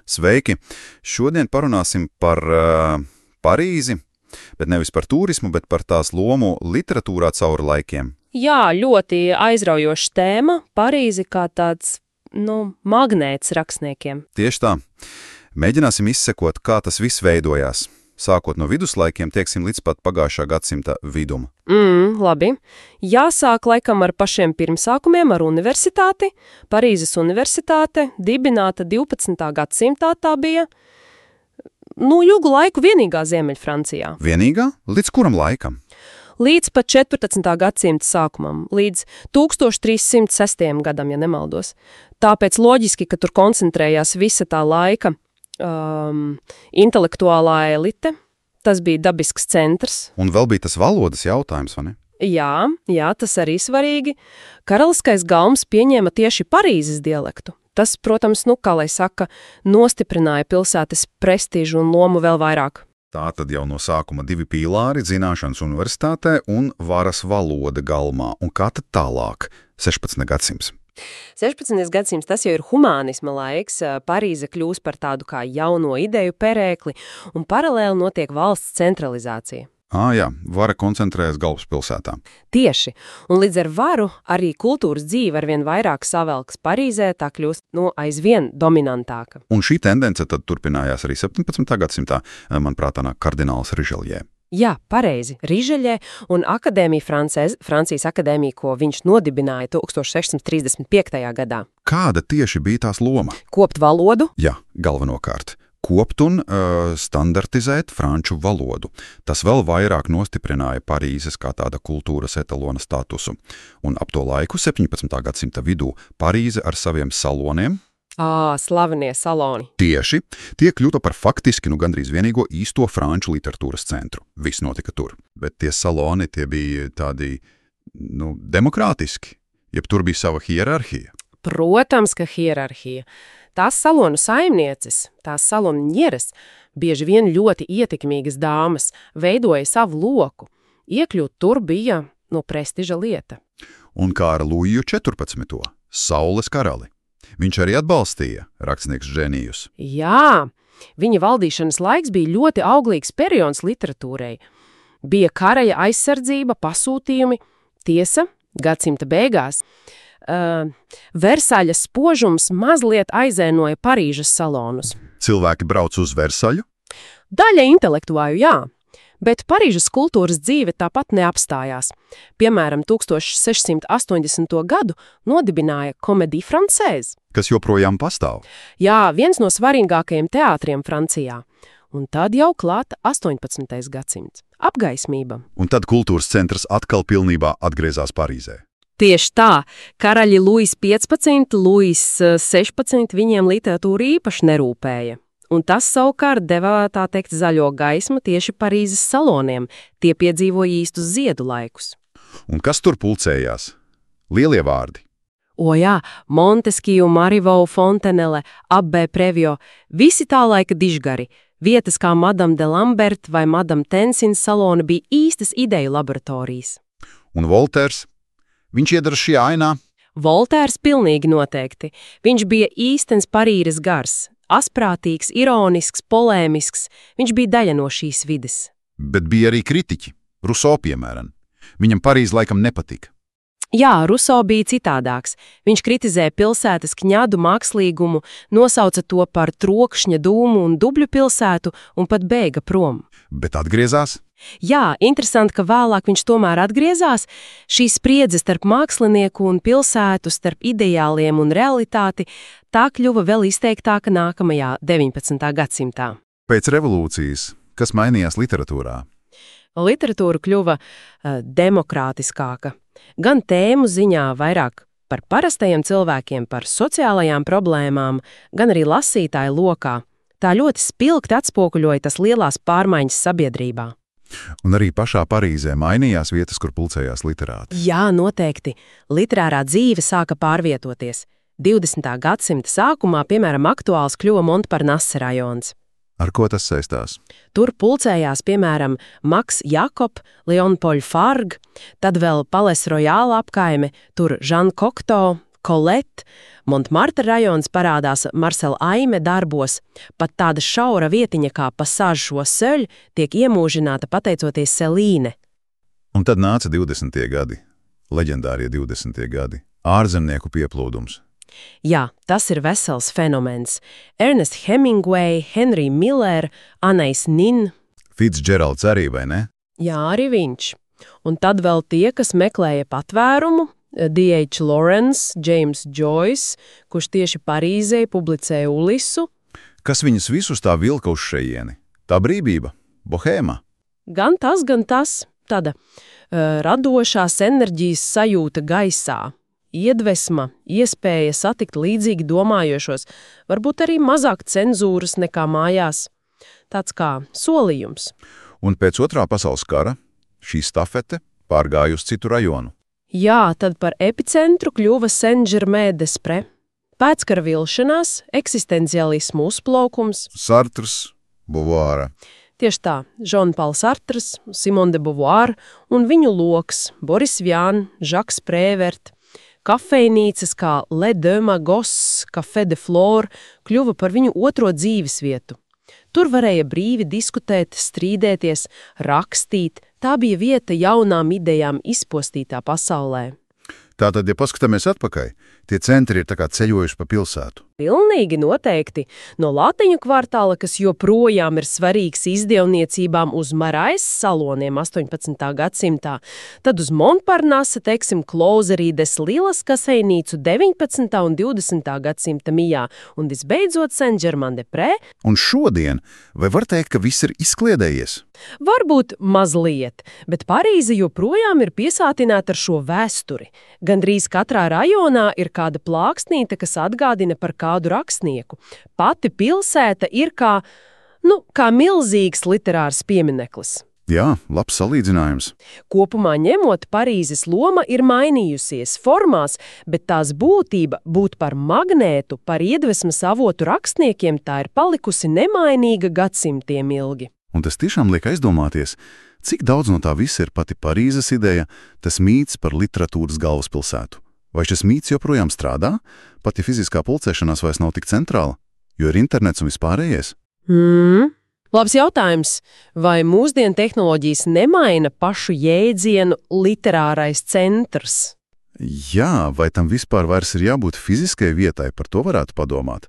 Sveiki! Šodien parunāsim par Parīzi, bet nevis par turismu, bet par tās lomu literatūrā cauri laikiem. Jā, ļoti aizraujoša tēma - Parīzi kā tāds, magnēts rakstniekiem. Tieši tā. Mēģināsim izsekot, kā tas viss veidojās. Sākot no viduslaikiem, tieksim līdz pat pagājušā gadsimta vidum. Labi. Jāsāk laikam ar pašiem pirmsākumiem, ar universitāti. Parīzes universitāte, dibināta 12. gadsimtā tā bija. Ilgu laiku vienīgā Ziemeļfrancijā. Vienīgā? Līdz kuram laikam? Līdz pat 14. gadsimta sākumam, līdz 1306. gadam, ja nemaldos. Tāpēc loģiski, ka tur koncentrējās visa tā laika intelektuālā elite. Tas bija dabisks centrs. Un vēl bija tas valodas jautājums, vai ne? Jā, tas arī svarīgi. Karaliskais galms pieņēma tieši Parīzes dialektu. Tas, protams, kā lai saka, nostiprināja pilsētas prestīžu un lomu vēl vairāk. Tā tad jau no sākuma divi pīlāri - zināšanas universitātē un varas valoda galmā. Un kā tad tālāk? 16. gadsimts. 16. gadsimts tas jau ir humānisma laiks, Parīze kļūs par tādu kā jauno ideju perēkli, un paralēli notiek valsts centralizācija. Jā, vara koncentrējas galvaspilsētā. Tieši, un līdz ar varu arī kultūras dzīve arvien vairāk savelkas Parīzē, tā kļūst, aizvien dominantāka. Un šī tendence tad turpinājās arī 17. gadsimtā, manuprāt, tā nāk kardināls Riželjē. Jā, pareizi, Riželjē un akadēmija Francijas akadēmija, ko viņš nodibināja 1635. gadā. Kāda tieši bija tās loma? Kopt valodu? Jā, galvenokārt. Kopt un standartizēt franču valodu. Tas vēl vairāk nostiprināja Parīzes kā tāda kultūras etalona statusu. Un ap to laiku, 17. gadsimta vidū, Parīze ar saviem saloniem, slavenie saloni. Tieši, tie kļuva par faktiski gandrīz vienīgo īsto franču literatūras centru. Viss notika tur. Bet tie saloni, tie bija tādi, demokrātiski, jeb tur bija sava hierarhija. Protams, ka hierarhija. Tās salonu saimnieces, tās salonu ņeres, bieži vien ļoti ietekmīgas dāmas, veidoja savu loku. Iekļūt tur bija, prestiža lieta. Un kā ar Luiju 14. Saules karali. Viņš arī atbalstīja rakstnieks Ženijus. Jā, viņa valdīšanas laiks bija ļoti auglīgs periods literatūrai. Bija karaja aizsardzība, pasūtījumi, tiesa, gadsimta beigās. Versaļas spožums mazliet aizēnoja Parīzes salonus. Cilvēki brauc uz Versaļu? Daļa intelektuāļu, jā. Bet Parīzes kultūras dzīve tāpat neapstājās. Piemēram, 1680. gadu nodibināja Comédie Française. Kas joprojām pastāv? Jā, viens no svarīgākajiem teātriem Francijā. Un tad jau klāta 18. gadsimts. Apgaismība. Un tad kultūras centrs atkal pilnībā atgriezās Parīzē. Tieši tā. Karaļi Luis 15, Luis 16 viņiem literatūra īpaši nerūpēja. Un tas savukārt deva, tā teikt, zaļo gaismu tieši Parīzes saloniem. Tie piedzīvoja īstus ziedu laikus. Un kas tur pulcējās? Lielie vārdi. Jā, Montesquieu, Marivaux, Fontenelle, Abbé Prévost, visi tā laika dižgari. Vietas kā Madame de Lambert vai Madame Tensins saloni bija īstas ideju laboratorijas. Un Volters? Viņš iedara šajā ainā? Volters pilnīgi noteikti. Viņš bija īstens Parīzes gars. Asprātīgs, ironisks, polēmisks, viņš bija daļa no šīs vides. Bet bija arī kritiķi, Rousseau piemēram. Viņam Parīze laikam nepatika. Jā, Rousseau bija citādāks. Viņš kritizēja pilsētas kņadu mākslīgumu, nosauca to par trokšņa dūmu un dubļu pilsētu un pat bēga prom. Bet atgriezās? Jā, interesanti, ka vēlāk viņš tomēr atgriezās. Šī spriedze starp mākslinieku un pilsētu, starp ideāliem un realitāti, tā kļuva vēl izteiktāka nākamajā 19. gadsimtā. Pēc revolūcijas, kas mainījās literatūrā? Literatūra kļuva demokrātiskāka. Gan tēmu ziņā vairāk par parastajiem cilvēkiem, par sociālajām problēmām, gan arī lasītāju lokā. Tā ļoti spilgti atspoguļoja tas lielās pārmaiņas sabiedrībā. Un arī pašā Parīzē mainījās vietas, kur pulcējās literāti. Jā, noteikti. Literārā dzīve sāka pārvietoties. 20. gadsimta sākumā, piemēram, aktuāls kļuva Montparnasse rajons. Ar ko tas saistās? Tur pulcējās, piemēram, Maks Jakob, Leon Paul Fargue, tad vēl Palais Royal apkaime, tur Jean Cocteau, Colette, Montmartre rajons parādās Marcela Aime darbos, pat tāda šaura vietiņa kā Passage Choiseul tiek iemūžināta pateicoties Selīne. Un tad nāca 20. gadi, leģendārie 20. gadi, ārzemnieku pieplūdums. Jā, tas ir vesels fenomens. Ernest Hemingway, Henry Miller, Anais Nin. Fitzgeralds arī, vai ne? Jā, arī viņš. Un tad vēl tie, kas meklēja patvērumu, D.H. Lawrence, James Joyce, kurš tieši Parīzē publicēja Ulisu. Kas viņus visus tā vilka uz šejieni? Tā brīvība, bohēma. Gan tas, tāda radošās enerģijas sajūta gaisā, iedvesma, iespēja satikt līdzīgi domājošos, varbūt arī mazāk cenzūras nekā mājās. Tāds kā solījums. Un pēc Otrā pasaules kara šī stafete pārgāja uz citu rajonu. Jā, tad par epicentru kļuva Saint-Germain-des-Prés. Pēckara vilšanās, eksistencialismu uzplaukums. Sartrs, Beauvoir. Tieši tā, Jean-Pauls Sartrs, Simone de Beauvoir un viņu loks Boris Vian, Žaks Prévert. Kafejnīcas kā Le Deux Magos, Café de Flore kļuva par viņu otro dzīvesvietu. Tur varēja brīvi diskutēt, strīdēties, rakstīt. Tā bija vieta jaunām idejām izpostītā pasaulē. Tātad, ja paskatāmies atpakaļ, tie centri ir tā kā ceļojuši pa pilsētu. Pilnīgi noteikti. No Lāteņu kvartāla, kas joprojām ir svarīgs izdevniecībām uz Marais saloniem 18. gadsimtā, tad uz Montparnasse, Closerie des Lilas kafejnīcu 19. un 20. gadsimta mijā, un visbeidzot Saint-Germain-des-Prés. Un šodien, vai var teikt, ka viss ir izkliedējies? Varbūt mazliet, bet Parīze joprojām ir piesātināta ar šo vēsturi. Gandrīz katrā rajonā ir kāda plāksnīte, kas atgādina par kādu rakstnieku. Pati pilsēta ir kā milzīgs literārs piemineklis. Jā, labs salīdzinājums. Kopumā ņemot, Parīzes loma ir mainījusies formās, bet tās būtība būt par magnētu, par iedvesmas avotu rakstniekiem, tā ir palikusi nemainīga gadsimtiem ilgi. Un tas tiešām liek aizdomāties, cik daudz no tā visa ir pati Parīzes ideja, tas mīts par literatūras galvaspilsētu. Vai šis mīts joprojām strādā? Pati fiziskā pulcēšanās vairs nav tik centrāla, jo ir internets un vispārējais? Labs jautājums. Vai mūsdienu tehnoloģijas nemaina pašu jēdzienu literārais centrs? Jā, vai tam vispār vairs ir jābūt fiziskai vietai, par to varētu padomāt?